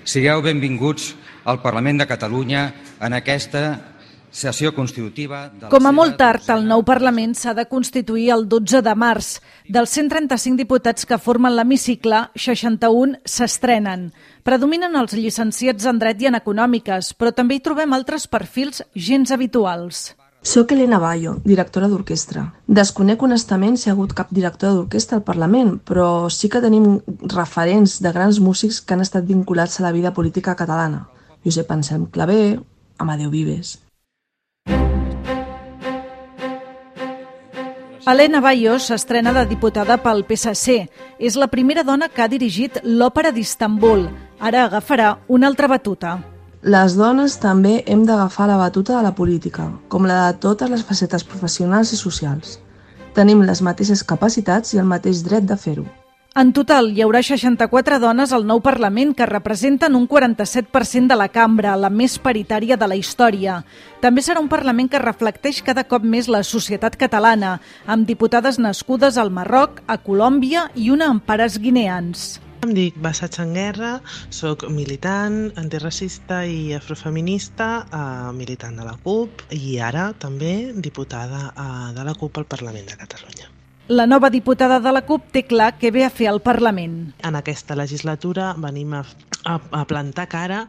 Sigueu benvinguts al Parlament de Catalunya en aquesta sessió constitutiva. Com a molt tard, el nou Parlament s'ha de constituir el 12 de març. Dels 135 diputats que formen l'hemicicle, 61 s'estrenen. Predominen els llicenciats en Dret i en Econòmiques, però també hi trobem altres perfils gens habituals. Soc Elena Bayo, directora d'orquestra. Desconec honestament si hi ha hagut cap directora d'orquestra al Parlament, però sí que tenim referents de grans músics que han estat vinculats a la vida política catalana. Josep Anselm Clavé, Amadeu Vives. Elena Bayo s'estrena de diputada pel PSC. És la primera dona que ha dirigit l'Òpera d'Istanbul. Ara agafarà una altra batuta. Les dones també hem d'agafar la batuta de la política, com la de totes les facetes professionals i socials. Tenim les mateixes capacitats i el mateix dret de fer-ho. En total, hi haurà 64 dones al nou Parlament que representen un 47% de la cambra, la més paritària de la història. També serà un Parlament que reflecteix cada cop més la societat catalana, amb diputades nascudes al Marroc, a Colòmbia i una en pares guineans. Em dic Bassa Changuerra, soc militant, antiracista i afrofeminista, militant de la CUP i ara també diputada de la CUP al Parlament de Catalunya. La nova diputada de la CUP té clar què ve a fer al Parlament. En aquesta legislatura venim a plantar cara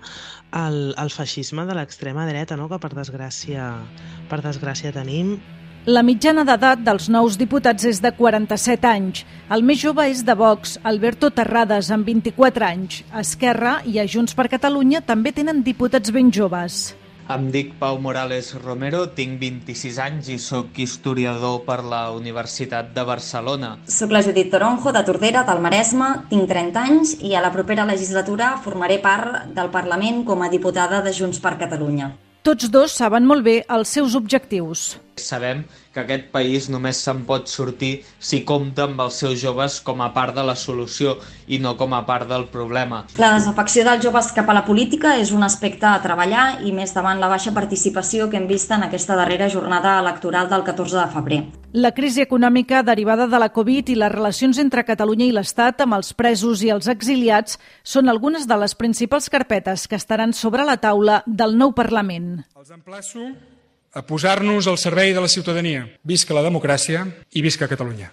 al feixisme de l'extrema dreta, no? Que per desgràcia tenim. La mitjana d'edat dels nous diputats és de 47 anys. El més jove és de Vox, Alberto Terrades, amb 24 anys. Esquerra i a Junts per Catalunya també tenen diputats ben joves. Em dic Pau Morales Romero, tinc 26 anys i sóc historiador per la Universitat de Barcelona. Soc la Judit Toronjo, de Tordera, del Maresme, tinc 30 anys i a la propera legislatura formaré part del Parlament com a diputada de Junts per Catalunya. Tots dos saben molt bé els seus objectius. Sabem que aquest país només se'n pot sortir si compta amb els seus joves com a part de la solució i no com a part del problema. La desafecció dels joves cap a la política és un aspecte a treballar i més davant la baixa participació que hem vist en aquesta darrera jornada electoral del 14 de febrer. La crisi econòmica derivada de la Covid i les relacions entre Catalunya i l'Estat amb els presos i els exiliats són algunes de les principals carpetes que estaran sobre la taula del nou Parlament. Els emplaço a posar-nos al servei de la ciutadania. Visca la democràcia i visca Catalunya.